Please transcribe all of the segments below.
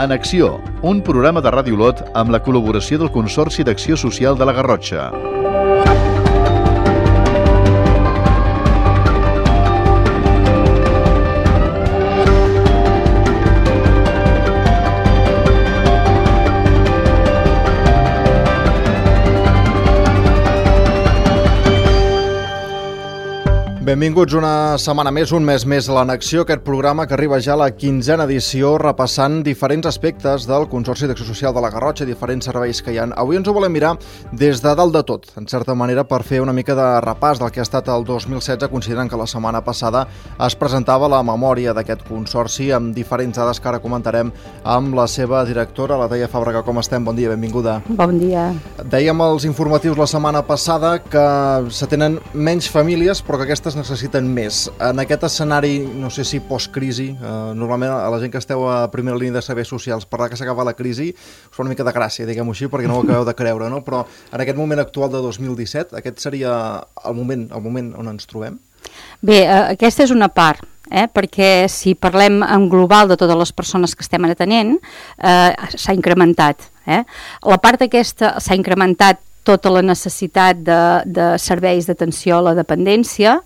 En Acció, un programa de Ràdio Olot amb la col·laboració del Consorci d'Acció Social de la Garrotxa. Benvinguts una setmana més, un mes més a l'Acció, aquest programa que arriba ja a la 15a edició repassant diferents aspectes del Consorci d'Acció Social de la Garrotxa, diferents serveis que hi ha. Avui ens ho volem mirar des de dalt de tot, en certa manera, per fer una mica de repàs del que ha estat el 2016, considerant que la setmana passada es presentava la memòria d'aquest Consorci amb diferents dades que ara comentarem amb la seva directora, la Laia Fàbrega. Com estem? Bon dia, benvinguda. Bon dia. Dèiem als informatius la setmana passada que s'atenen menys famílies, però que aquestes necessiten més. En aquest escenari, no sé si post-crisi, normalment a la gent que esteu a primera línia de serveis socials, parlar que s'acaba la crisi, us fa una mica de gràcia, diguem-ho així, perquè no ho acabeu de creure, no? Però en aquest moment actual de 2017, aquest seria el moment on ens trobem? Bé, aquesta és una part, perquè si parlem en global de totes les persones que estem atenent, s'ha incrementat. La part aquesta s'ha incrementat tota la necessitat de serveis d'atenció a la dependència.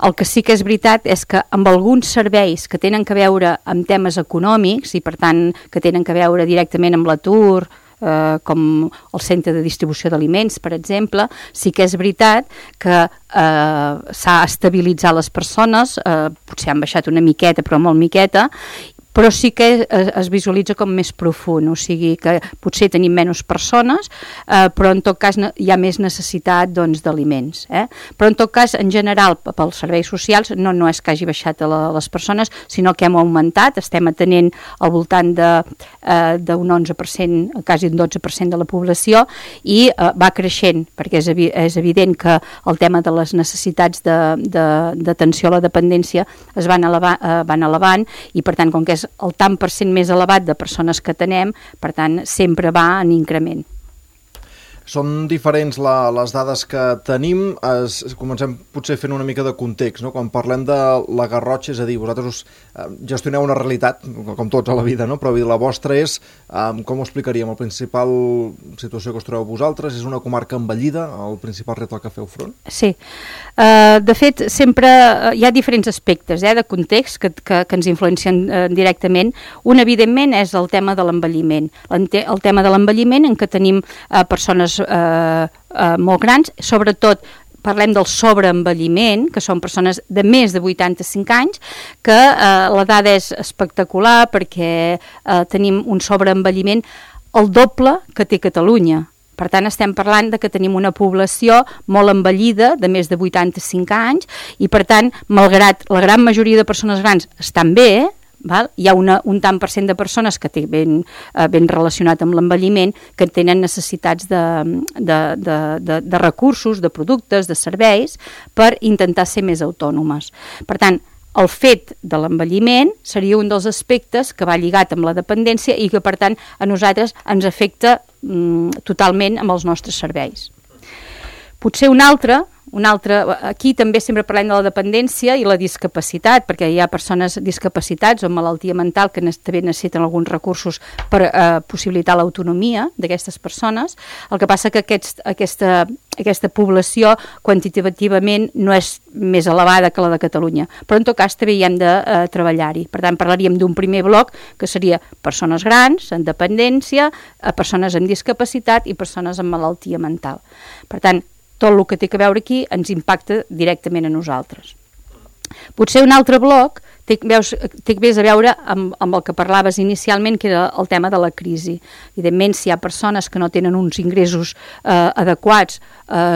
El que sí que és veritat és que amb alguns serveis que tenen que veure amb temes econòmics i per tant que tenen que veure directament amb l'atur, com el centre de distribució d'aliments, per exemple, sí que és veritat que s'ha estabilitzat les persones, potser han baixat una miqueta, però molt miqueta, però sí que es visualitza com més profund, o sigui que potser tenim menys persones, però en tot cas hi ha més necessitat d'aliments. Però en tot cas, en general, pels serveis socials, no és que hagi baixat les persones, sinó que hem augmentat, estem atenent al voltant d'un 11%, quasi un 12% de la població, i va creixent, perquè és evident que el tema de les necessitats d'atenció a la dependència es van elevant, i per tant, com que és el tant per cent més elevat de persones que tenem, per tant, sempre va en increment. Són diferents les dades que tenim. Comencem potser fent una mica de context, no? Quan parlem de la Garrotxa, és a dir, vosaltres gestioneu una realitat, com tots a la vida, no? Però la vostra és, com ho explicaríem, la principal situació que us trobeu vosaltres? És una comarca envellida, el principal repte al que feu front? Sí. De fet, sempre hi ha diferents aspectes de context que ens influencien directament. Un, evidentment, és el tema de l'envelliment. El tema de l'envelliment en què tenim persones molt grans, sobretot parlem del sobreenvelliment, que són persones de més de 85 anys, que l'edat és espectacular perquè tenim un sobreenvelliment el doble que té Catalunya. Per tant, estem parlant de que tenim una població molt envellida, de més de 85 anys, i per tant, malgrat la gran majoria de persones grans estan bé, hi ha un tant per cent de persones que té ben relacionat amb l'envelliment, que tenen necessitats de recursos, de productes, de serveis, per intentar ser més autònomes. Per tant, el fet de l'envelliment seria un dels aspectes que va lligat amb la dependència i que, per tant, a nosaltres ens afecta totalment amb els nostres serveis. Potser un altre, aquí també sempre parlem de la dependència i la discapacitat, perquè hi ha persones discapacitats o malaltia mental que també necessiten alguns recursos per possibilitar l'autonomia d'aquestes persones. El que passa que aquesta població quantitativament no és més elevada que la de Catalunya, però en tot cas també hi hem de treballar-hi. Per tant, parlaríem d'un primer bloc que seria persones grans, en dependència, persones amb discapacitat i persones amb malaltia mental. Per tant, tot el que té a veure aquí ens impacta directament a nosaltres. Potser un altre bloc té més a veure amb el que parlaves inicialment, que era el tema de la crisi. Evidentment, si hi ha persones que no tenen uns ingressos adequats,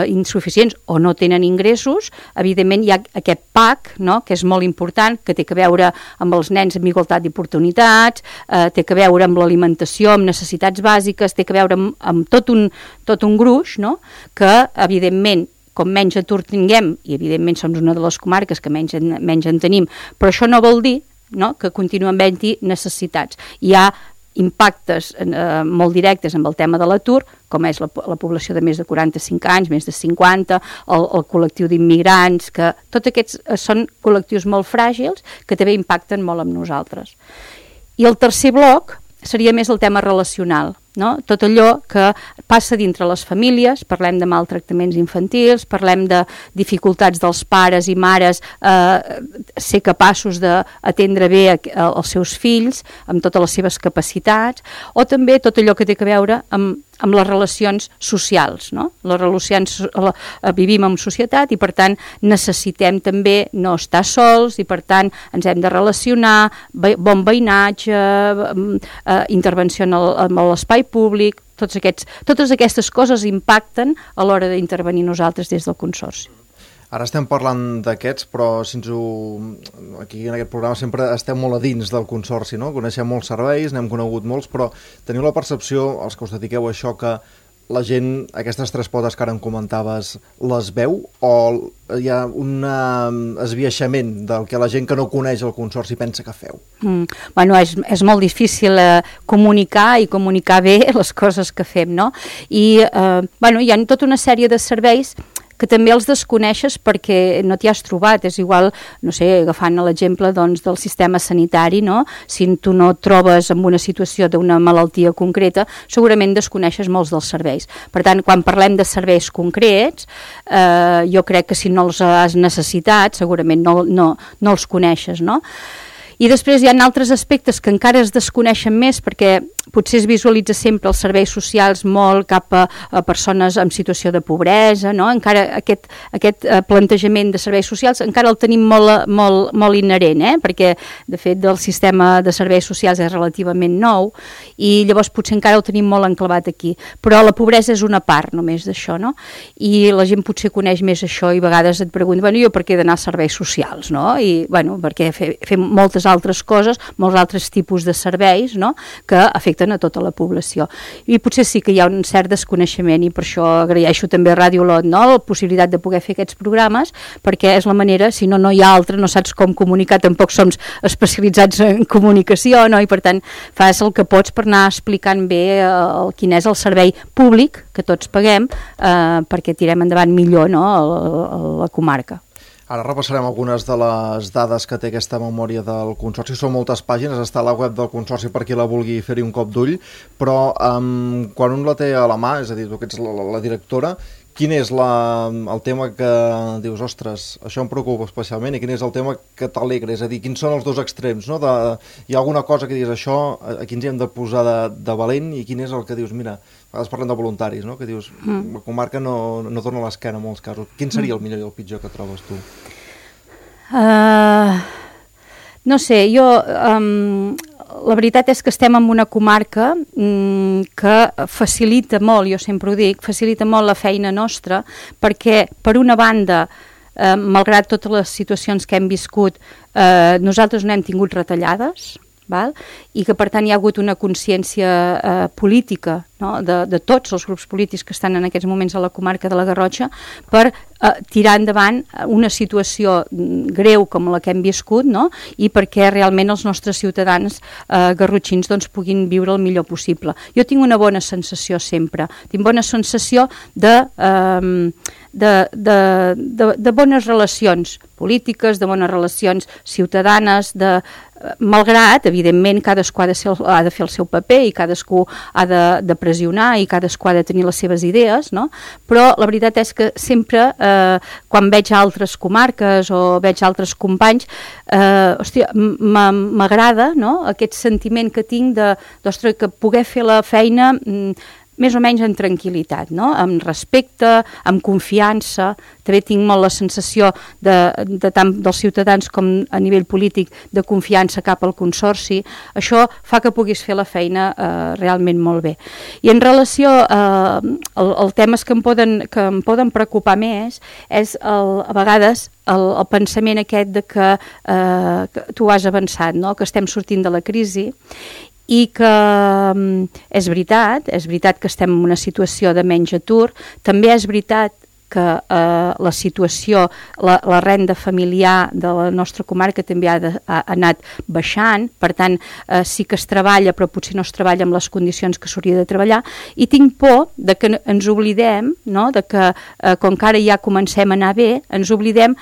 insuficients, o no tenen ingressos, evidentment hi ha aquest PAC, no?, que és molt important, que té a veure amb els nens amb igualtat d'oportunitats, té a veure amb l'alimentació, amb necessitats bàsiques, té a veure amb tot un gruix, no?, que, evidentment, com menys atur tinguem, i evidentment som una de les comarques que menys en tenim, però això no vol dir, no?, que continuen havent-hi necessitats. Hi ha impactes molt directes amb el tema de l'atur, com és la població de més de 45 anys, més de 50, el col·lectiu d'immigrants, que tots aquests són col·lectius molt fràgils que també impacten molt amb nosaltres. I el tercer bloc seria més el tema relacional, no? Tot allò que passa dintre les famílies, parlem de maltractaments infantils, parlem de dificultats dels pares i mares ser capaços d'atendre bé els seus fills amb totes les seves capacitats, o també tot allò que té a veure amb les relacions socials, no? Les relacions, vivim en societat i per tant necessitem també no estar sols i per tant ens hem de relacionar, bon veïnatge, intervenció en l'espai públic, totes aquestes coses impacten a l'hora d'intervenir nosaltres des del Consorci. Ara estem parlant d'aquests, però aquí en aquest programa sempre estem molt a dins del Consorci, no? Coneixem molts serveis, n'hem conegut molts, però teniu la percepció, els que us dediqueu a això, que la gent, aquestes tres potes que ara em comentaves, les veu o hi ha un esbiaixament del que la gent que no coneix el Consorci pensa que feu? Bueno, és molt difícil comunicar i comunicar bé les coses que fem, no? I bueno, hi ha tota una sèrie de serveis que també els desconeixes perquè no t'hi has trobat. És igual, no sé, agafant l'exemple doncs, del sistema sanitari, no? Si tu no et trobes en una situació d'una malaltia concreta, segurament desconeixes molts dels serveis. Per tant, quan parlem de serveis concrets, jo crec que si no els has necessitat, segurament no els coneixes, no? I després hi ha altres aspectes que encara es desconeixen més perquè potser es visualitza sempre els serveis socials molt cap a persones en situació de pobresa, no? Encara aquest plantejament de serveis socials encara el tenim molt inherent, perquè de fet el sistema de serveis socials és relativament nou i llavors potser encara ho tenim molt enclavat aquí, però la pobresa és una part només d'això, no? I la gent potser coneix més això i a vegades et pregunta, bueno, jo per què he d'anar a serveis socials, no? I bueno, perquè fem moltes altres coses, molts altres tipus de serveis, no? Que afecten a tota la població. I potser sí que hi ha un cert desconeixement i per això agraeixo també a Ràdio Olot, no? La possibilitat de poder fer aquests programes, perquè és la manera, si no hi ha altra, no saps com comunicar, tampoc som especialitzats en comunicació, no? I per tant fas el que pots per anar explicant bé quin és el servei públic que tots paguem perquè tirem endavant millor, no? a la comarca. Ara repassarem algunes de les dades que té aquesta memòria del Consorci. Són moltes pàgines, està a la web del Consorci per qui la vulgui fer-hi un cop d'ull, però quan un la té a la mà, és a dir, tu que ets la directora, quin és el tema que dius, ostres, això em preocupa especialment, i quin és el tema que t'alegra? És a dir, quins són els dos extrems, no? Hi ha alguna cosa que diguis, això, aquí ens hi hem de posar de valent, i quin és el que dius, mira, a vegades parlem de voluntaris, no? Que dius, la comarca no torna l'esquena en molts casos. Quin seria el millor i el pitjor que trobes tu? No sé, jo... La veritat és que estem en una comarca que facilita molt, jo sempre ho dic, facilita molt la feina nostra, perquè per una banda, malgrat totes les situacions que hem viscut, nosaltres no hem tingut retallades, val? I que per tant hi ha hagut una consciència política, no? de tots els grups polítics que estan en aquests moments a la comarca de la Garrotxa per tirar endavant una situació greu com la que hem viscut, no? I perquè realment els nostres ciutadans garrotxins doncs, puguin viure el millor possible. Jo tinc una bona sensació sempre, tinc bona sensació de bones relacions polítiques, de bones relacions ciutadanes, malgrat, evidentment, cadascú ha de fer el seu paper i cadascú ha de pressionar i cadascú ha de tenir les seves idees, no? Però la veritat és que sempre, quan veig altres comarques o veig altres companys, m'agrada, no? Aquest sentiment que tinc d'ostres, que poder fer la feina més o menys en tranquil·litat, no? Amb respecte, amb confiança. També tinc molt la sensació tant dels ciutadans com a nivell polític de confiança cap al Consorci. Això fa que puguis fer la feina realment molt bé. I en relació als temes que em poden preocupar més és a vegades el pensament aquest de que tu has avançat, no? Que estem sortint de la crisi i que és veritat que estem en una situació de menys atur, també és veritat que la situació, la renda familiar de la nostra comarca també ha anat baixant, per tant sí que es treballa però potser no es treballa amb les condicions que s'hauria de treballar, i tinc por de que ens oblidem, no? De que com que ara ja comencem a anar bé, ens oblidem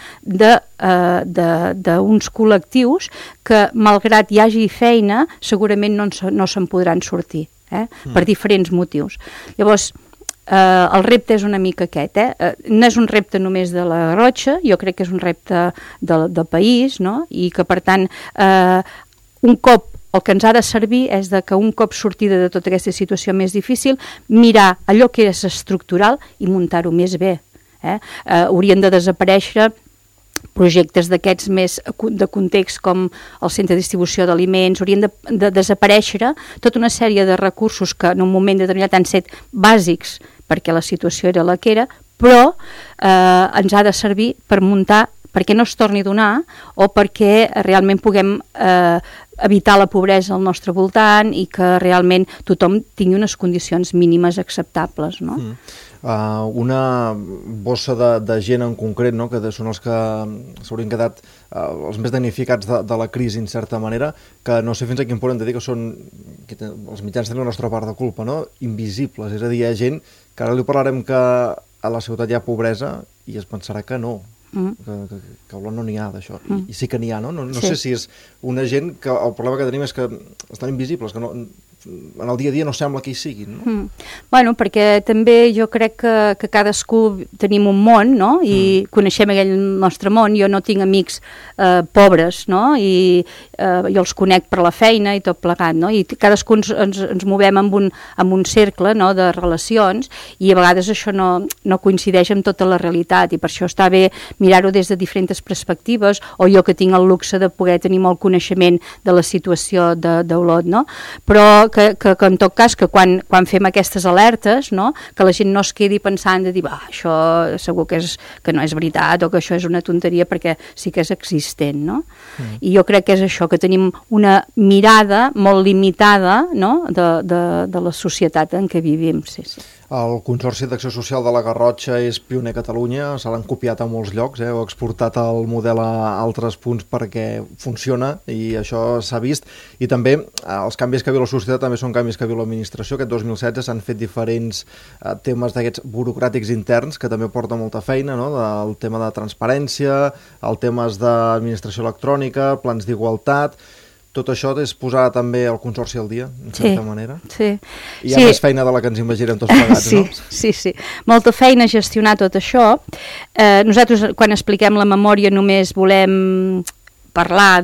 d'uns col·lectius que malgrat hi hagi feina segurament no se'n podran sortir, per diferents motius. Llavors el repte és una mica aquest, no és un repte només de la Garrotxa, jo crec que és un repte del país, no? I que per tant un cop el que ens ha de servir és que un cop sortida de tota aquesta situació més difícil, mirar allò que és estructural i muntar-ho més bé. Haurien de desaparèixer projectes d'aquests més de context com el centre de distribució d'aliments, haurien de desaparèixer tota una sèrie de recursos que en un moment determinat han set bàsics perquè la situació era la que era, però ens ha de servir per muntar perquè no es torni a donar o perquè realment puguem evitar la pobresa al nostre voltant i que realment tothom tingui unes condicions mínimes acceptables, no? Una bossa de gent en concret, no? Que són els que s'haurien quedat els més damnificats de la crisi, en certa manera, que no sé fins a quin punt hem de dir que són, els mitjans tenen la nostra part de culpa, no? Invisibles, és a dir, hi ha gent que ara li parlarem que a la ciutat hi ha pobresa i es pensarà que no, que a Olot no n'hi ha d'això, i sí que n'hi ha, no? No sé si és una gent que el problema que tenim és que estan invisibles, que no, en el dia a dia no sembla que hi siguin, no? Bueno, perquè també jo crec que cadascú tenim un món, no? I coneixem aquell nostre món. Jo no tinc amics pobres, no? I jo els conec per la feina i tot plegat, no? I cadascú ens movem amb un cercle, no? De relacions, i a vegades això no coincideix amb tota la realitat, i per això està bé mirar-ho des de diferents perspectives, o jo que tinc el luxe de poder tenir molt coneixement de la situació d'Olot, no? Però que en tot cas, que quan fem aquestes alertes, no? Que la gent no es quedi pensant de dir, això segur que no és veritat o que això és una tonteria, perquè sí que és existent, no? I jo crec que és això, que tenim una mirada molt limitada, no? de la societat en què vivim, sí. El Consorci d'Acció Social de la Garrotxa és pioner a Catalunya, se l'han copiat a molts llocs, heu exportat el model a altres punts perquè funciona i això s'ha vist, i també els canvis que viu la societat també són canvis que viu l'administració. Aquest 2016 s'han fet diferents temes d'aquests burocràtics interns que també porta molta feina, no? El tema de transparència, el temes d'administració electrònica, plans d'igualtat. Tot això és posar també el Consorci al dia, en certa manera? Sí. Hi ha més feina de la que ens imaginem tots plegats, no? Sí. Molta feina a gestionar tot això. Nosaltres, quan expliquem la memòria, només volem parlar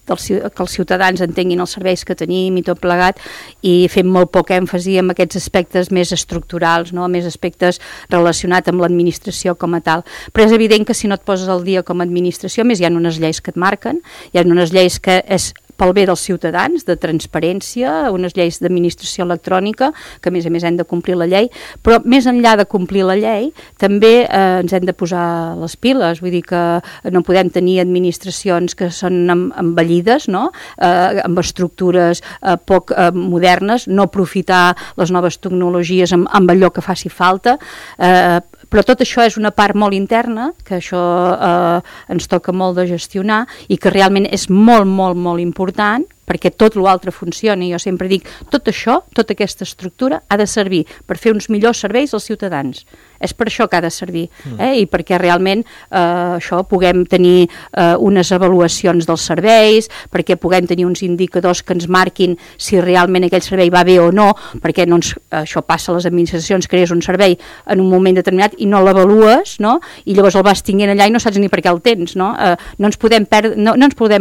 que els ciutadans entenguin els serveis que tenim i tot plegat, i fem molt poc èmfasi en aquests aspectes més estructurals, no? Més aspectes relacionats amb l'administració com a tal. Però és evident que si no et poses al dia com a administració, més hi ha unes lleis que et marquen, hi ha unes lleis que és pel bé dels ciutadans, de transparència, unes lleis d'administració electrònica, que a més hem de complir la llei, però més enllà de complir la llei, també ens hem de posar les piles, vull dir que no podem tenir administracions que són envellides, no? Amb estructures poc modernes, no aprofitar les noves tecnologies amb allò que faci falta, però tot això és una part molt interna, que això ens toca molt de gestionar i que realment és molt, molt, molt important perquè tot l'altre funcioni. Jo sempre dic, tot això, tota aquesta estructura ha de servir per fer uns millors serveis als ciutadans. És per això que ha de servir, i perquè realment això puguem tenir unes avaluacions dels serveis, perquè puguem tenir uns indicadors que ens marquin si realment aquell servei va bé o no, perquè això passa a les administracions, crees un servei en un moment determinat i no l'avalues, no? I llavors el vas tinguent allà i no saps ni per què el tens, no? No ens podem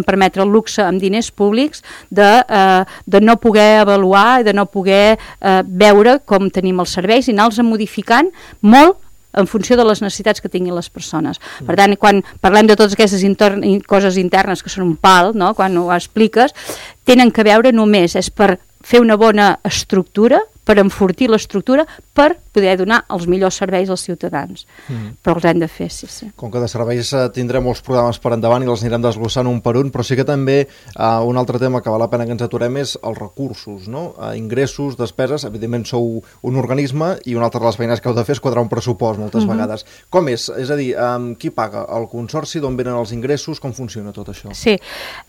permetre el luxe amb diners públics de no poder avaluar i de no poder veure com tenim els serveis i anar-los modificant molt en funció de les necessitats que tinguin les persones. Per tant, quan parlem de totes aquestes coses internes que són un pal, no? Quan ho expliques, tenen que veure només, és per fer una bona estructura, per enfortir l'estructura, per poder donar els millors serveis als ciutadans. Però els hem de fer, sí. Com que de serveis tindrem molts programes per endavant i els anirem desglossant un per un, però sí que també un altre tema que val la pena que ens aturem és els recursos, no? Ingressos, despeses, evidentment sou un organisme i una altra de les feines que heu de fer és quadrar un pressupost moltes vegades. Com és? És a dir, qui paga? El consorci? D'on venen els ingressos? Com funciona tot això? Sí,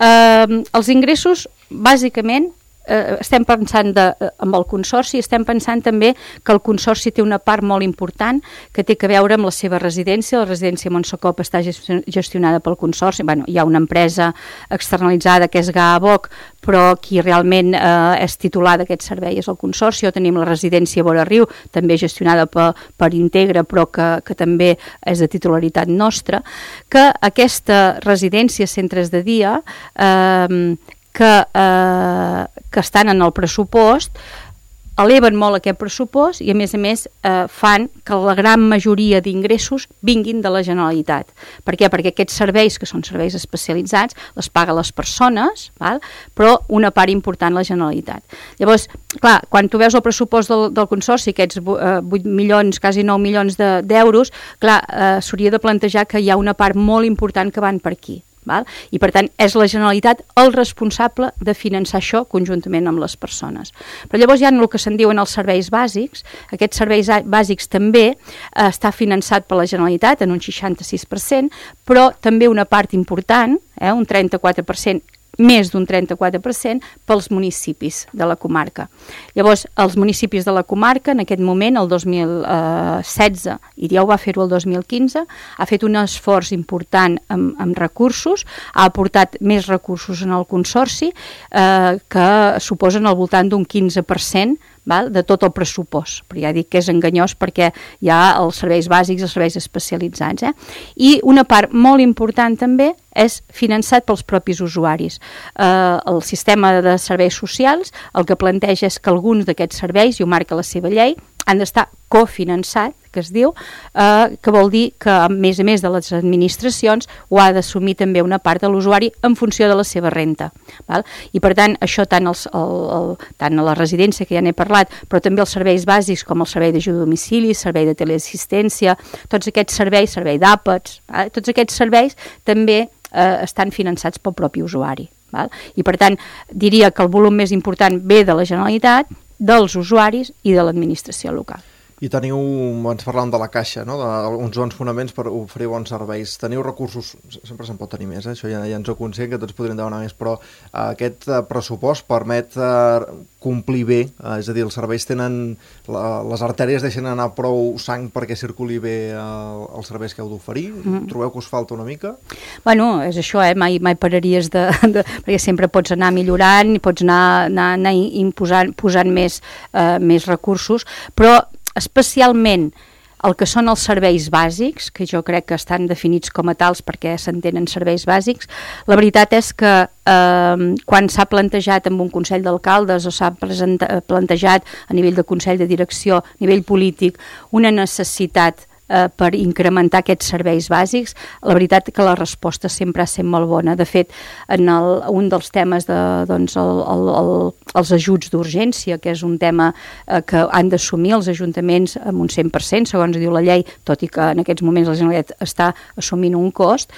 els ingressos, bàsicament, estem pensant amb el consorci, estem pensant també que el consorci té una part molt important que té que veure amb la seva residència. La residència Montsecop està gestionada pel consorci. Hi ha una empresa externalitzada que és GAABOC, però qui realment és titular d'aquest servei és el consorci. O tenim la residència Vora Riu, també gestionada per Integra, però que també és de titularitat nostra, que aquesta residència, centres de dia, que estan en el pressupost, eleven molt aquest pressupost i a més fan que la gran majoria d'ingressos vinguin de la Generalitat. Per què? Perquè aquests serveis, que són serveis especialitzats, les paga les persones, val? Però una part important la Generalitat. Llavors, clar, quan tu veus el pressupost del consorci, aquests 8 milions, quasi 9 milions d'euros, clar, s'hauria de plantejar que hi ha una part molt important que van per aquí. Val? I per tant és la Generalitat el responsable de finançar això conjuntament amb les persones. Però llavors hi ha el que se'n diuen els serveis bàsics. Aquests serveis bàsics també està finançat per la Generalitat en un 66%, però també una part important, un 34%, més d'un 34% pels municipis de la comarca. Llavors, els municipis de la comarca, en aquest moment, el 2016, i ja ho va fer-ho el 2015, ha fet un esforç important amb recursos, ha aportat més recursos en el consorci, que suposen al voltant d'un 15%, de tot el pressupost, però ja dic que és enganyós perquè hi ha els serveis bàsics i els serveis especialitzats. I una part molt important també és finançat pels propis usuaris. El sistema de serveis socials el que planteja és que alguns d'aquests serveis, i ho marca la seva llei, han d'estar cofinançat, que es diu, que vol dir que a més de les administracions ho ha d'assumir també una part de l'usuari en funció de la seva renta. Val? I per tant, això tant a la residència, que ja n'he parlat, però també els serveis bàsics com el servei d'ajuda a domicili, servei de teleassistència, tots aquests serveis, servei d'àpats, tots aquests serveis també estan finançats pel propi usuari. Val? I per tant, diria que el volum més important ve de la Generalitat, dels usuaris i de l'administració local. I teniu, ens parlàvem de la Caixa, no? Uns bons fonaments per oferir bons serveis. Teniu recursos, sempre se'n pot tenir més, això ja ens ho consent, que tots podrem demanar més, però aquest pressupost permet complir bé, és a dir, els serveis tenen, les artèries deixen anar prou sang perquè circuli bé els serveis que heu d'oferir? Trobeu que us falta una mica? Bueno, és això, mai pararies perquè sempre pots anar millorant i pots anar posant més recursos, però especialment el que són els serveis bàsics, que jo crec que estan definits com a tals perquè s'entenen serveis bàsics, la veritat és que quan s'ha plantejat amb un Consell d'Alcaldes o s'ha plantejat a nivell de Consell de Direcció, a nivell polític, una necessitat per incrementar aquests serveis bàsics, la veritat que la resposta sempre ha estat molt bona. De fet, en un dels temes els ajuts d'urgència, que és un tema que han d'assumir els ajuntaments amb un 100%, segons diu la llei, tot i que en aquests moments la Generalitat està assumint un cost,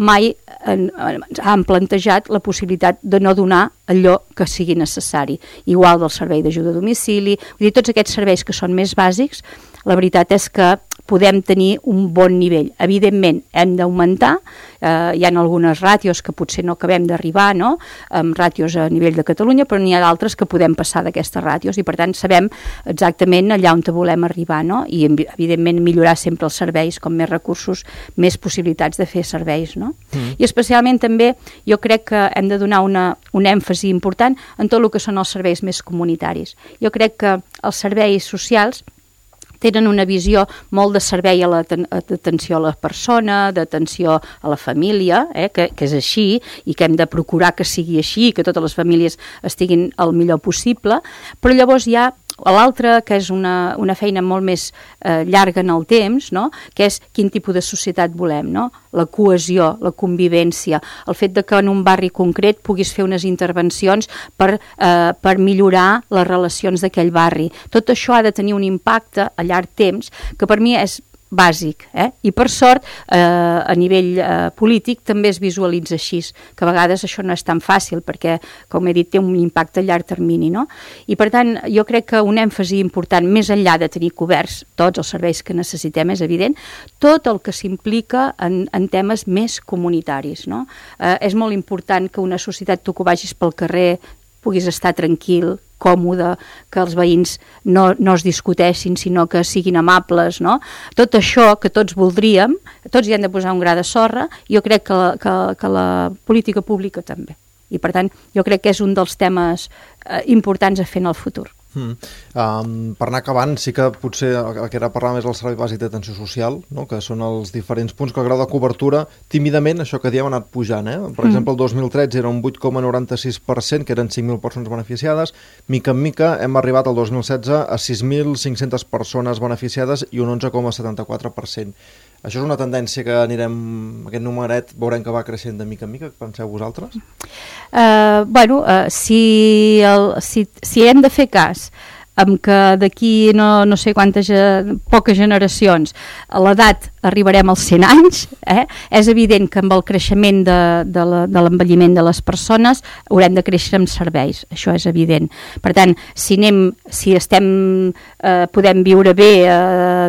mai han plantejat la possibilitat de no donar allò que sigui necessari. Igual del servei d'ajuda a domicili, vull dir, tots aquests serveis que són més bàsics, la veritat és que podem tenir un bon nivell. Evidentment, hem d'augmentar, hi ha algunes ràtios que potser no acabem d'arribar, no?, amb ràtios a nivell de Catalunya, però n'hi ha d'altres que podem passar d'aquestes ràtios i per tant sabem exactament allà on volem arribar, no?, i evidentment millorar sempre els serveis, com més recursos, més possibilitats de fer serveis, no? I especialment també jo crec que hem de donar un èmfasi important en tot el que són els serveis més comunitaris. Jo crec que els serveis socials tenen una visió molt de servei d'atenció a la persona, d'atenció a la família, que és així i que hem de procurar que sigui així, que totes les famílies estiguin el millor possible, però llavors hi ha l'altre, que és una feina molt més llarga en el temps, no? Que és quin tipus de societat volem, no? La cohesió, la convivència, el fet de que en un barri concret puguis fer unes intervencions per millorar les relacions d'aquell barri. Tot això ha de tenir un impacte a llarg temps que per mi és bàsic, i per sort a nivell polític també es visualitza així, que a vegades això no és tan fàcil perquè, com he dit, té un impacte a llarg termini, no? I per tant jo crec que un èmfasi important, més enllà de tenir coberts tots els serveis que necessitem, és evident, tot el que s'implica en temes més comunitaris, no? És molt important que una societat, tu que vagis pel carrer, puguis estar tranquil, còmode, que els veïns no es discuteixin, sinó que siguin amables, no? Tot això que tots voldríem, tots hi han de posar un gra de sorra, jo crec que la política pública també. I per tant, jo crec que és un dels temes importants a fer en el futur. Per anar acabant, sí que potser el que era parlar més del servei bàsic d'atenció social, no? Que són els diferents punts, que el grau de cobertura, tímidament, això que diem, ha anat pujant. Per exemple, el 2013 era un 8,96%, que eren 5.000 persones beneficiades. Mica en mica hem arribat al 2016 a 6.500 persones beneficiades i un 11,74%. Això és una tendència que anirem, aquest numeret, veurem que va creixent de mica en mica, penseu vosaltres? Si hem de fer cas amb que d'aquí no sé quantes, poques generacions, a l'edat arribarem als 100 anys, és evident que amb el creixement de l'envelliment de les persones haurem de créixer amb serveis, això és evident. Per tant, si podem viure bé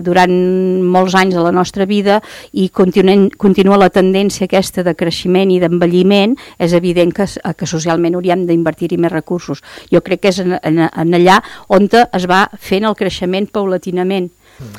durant molts anys de la nostra vida i continua la tendència aquesta de creixement i d'envelliment, és evident que socialment hauríem d'invertir-hi més recursos. Jo crec que és en allà on es va fent el creixement paulatinament.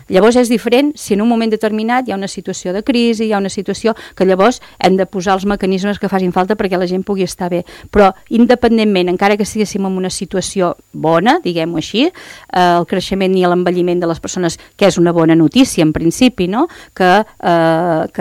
Llavors és diferent si en un moment determinat hi ha una situació de crisi, hi ha una situació que llavors hem de posar els mecanismes que facin falta perquè la gent pugui estar bé. Però independentment, encara que estiguéssim en una situació bona, diguem-ho així, el creixement i l'envelliment de les persones, que és una bona notícia en principi, no? Que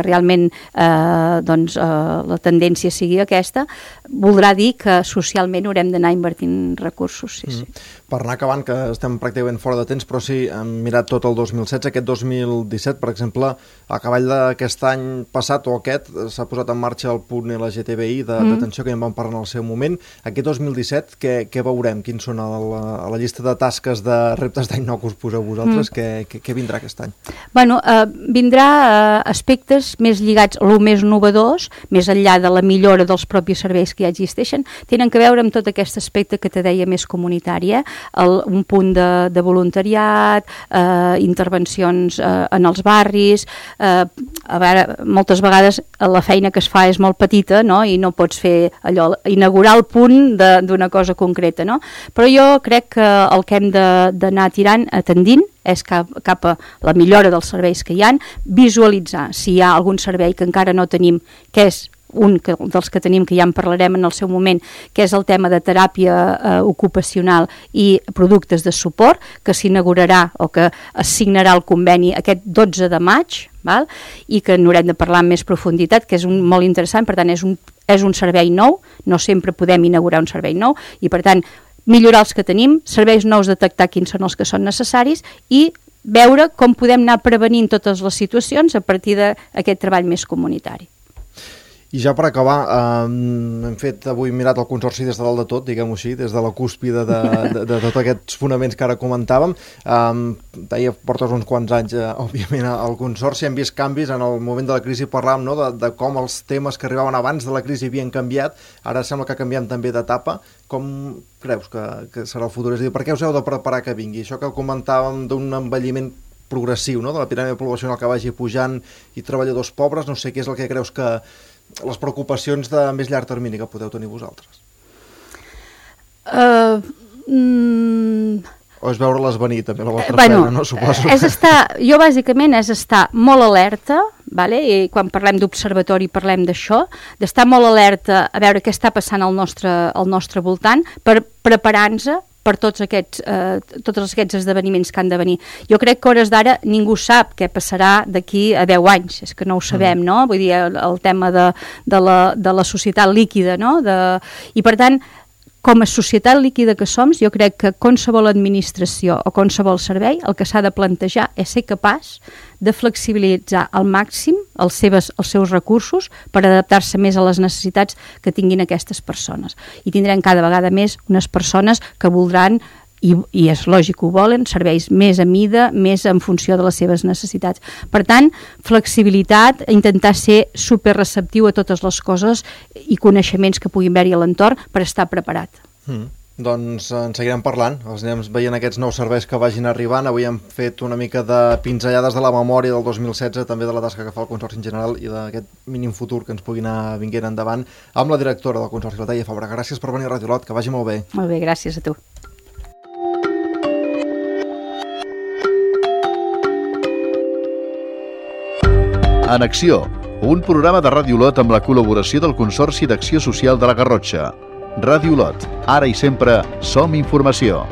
realment la tendència sigui aquesta, voldrà dir que socialment haurem d'anar invertint recursos. Sí. Per anar acabant, que estem pràcticament fora de temps, però sí, hem mirat tot el 2016, aquest 2017, per exemple, a cavall d'aquest any passat o aquest, s'ha posat en marxa el punt LGTBI d'atenció, que ja en vam parlar en el seu moment. Aquest 2017, què veurem? Quins són a la llista de tasques, de reptes d'any nou que us poseu vosaltres? Què vindrà aquest any? Vindrà aspectes més lligats, el més innovadors, més enllà de la millora dels propis serveis que ja existeixen, tenen que veure amb tot aquest aspecte que te deia més comunitari, un punt de voluntariat, intervencions en els barris. A veure, moltes vegades la feina que es fa és molt petita, no? I no pots fer allò, inaugurar el punt d'una cosa concreta, no? Però jo crec que el que hem d'anar atendint és cap a la millora dels serveis que hi ha, visualitzar si hi ha algun servei que encara no tenim, que és un dels que tenim, que ja en parlarem en el seu moment, que és el tema de teràpia ocupacional i productes de suport, que s'inaugurarà o que es signarà el conveni aquest 12 de maig, val? I que n'haurem de parlar amb més profunditat, que és molt interessant, per tant és un servei nou, no sempre podem inaugurar un servei nou, i per tant millorar els que tenim, serveis nous, detectar quins són els que són necessaris i veure com podem anar prevenint totes les situacions a partir d'aquest treball més comunitari. I ja per acabar, hem mirat el Consorci des de dalt de tot, diguem-ho així, des de la cúspide de tots aquests fonaments que ara comentàvem. Portes uns quants anys, òbviament, al Consorci, hem vist canvis. En el moment de la crisi parlàvem, no?, de com els temes que arribaven abans de la crisi havien canviat, ara sembla que canviem també d'etapa. Com creus que serà el futur? És a dir, per què us heu de preparar que vingui? Això que comentàvem d'un envelliment progressiu, no?, de la piràmide poblacional que vagi pujant i treballadors pobres, no sé què és el que creus que les preocupacions de més llarg termini que podeu tenir vosaltres? O és veure-les venir, també, la vostra feina, no? Suposo. Jo, bàsicament, és estar molt alerta, vale? I quan parlem d'observatori parlem d'això, d'estar molt alerta a veure què està passant al nostre voltant per preparar-nos per tots aquests esdeveniments que han de venir. Jo crec que a hores d'ara ningú sap què passarà d'aquí a 10 anys, és que no ho sabem, no? Vull dir, el tema de la societat líquida, no? I per tant, com a societat líquida que som, jo crec que qualsevol administració o qualsevol servei el que s'ha de plantejar és ser capaç de flexibilitzar al màxim els seus recursos per adaptar-se més a les necessitats que tinguin aquestes persones. I tindrem cada vegada més unes persones que voldran, i és lògic que ho volen, serveis més a mida, més en funció de les seves necessitats. Per tant, flexibilitat, intentar ser superreceptiu a totes les coses i coneixements que puguin haver-hi a l'entorn per estar preparat. Doncs en seguirem parlant, els anem veient aquests nous serveis que vagin arribant. Avui hem fet una mica de pinzellades de la memòria del 2016, també de la tasca que fa el Consorci en general i d'aquest mínim futur que ens pugui anar vinguent endavant amb la directora del Consorci, la Laia Fabra. Gràcies per venir a Ràdio Olot, que vagi molt bé. Molt bé, gràcies a tu. En Acció, un programa de Ràdio Olot amb la col·laboració del Consorci d'Acció Social de la Garrotxa. Ràdio Olot, ara i sempre som informació.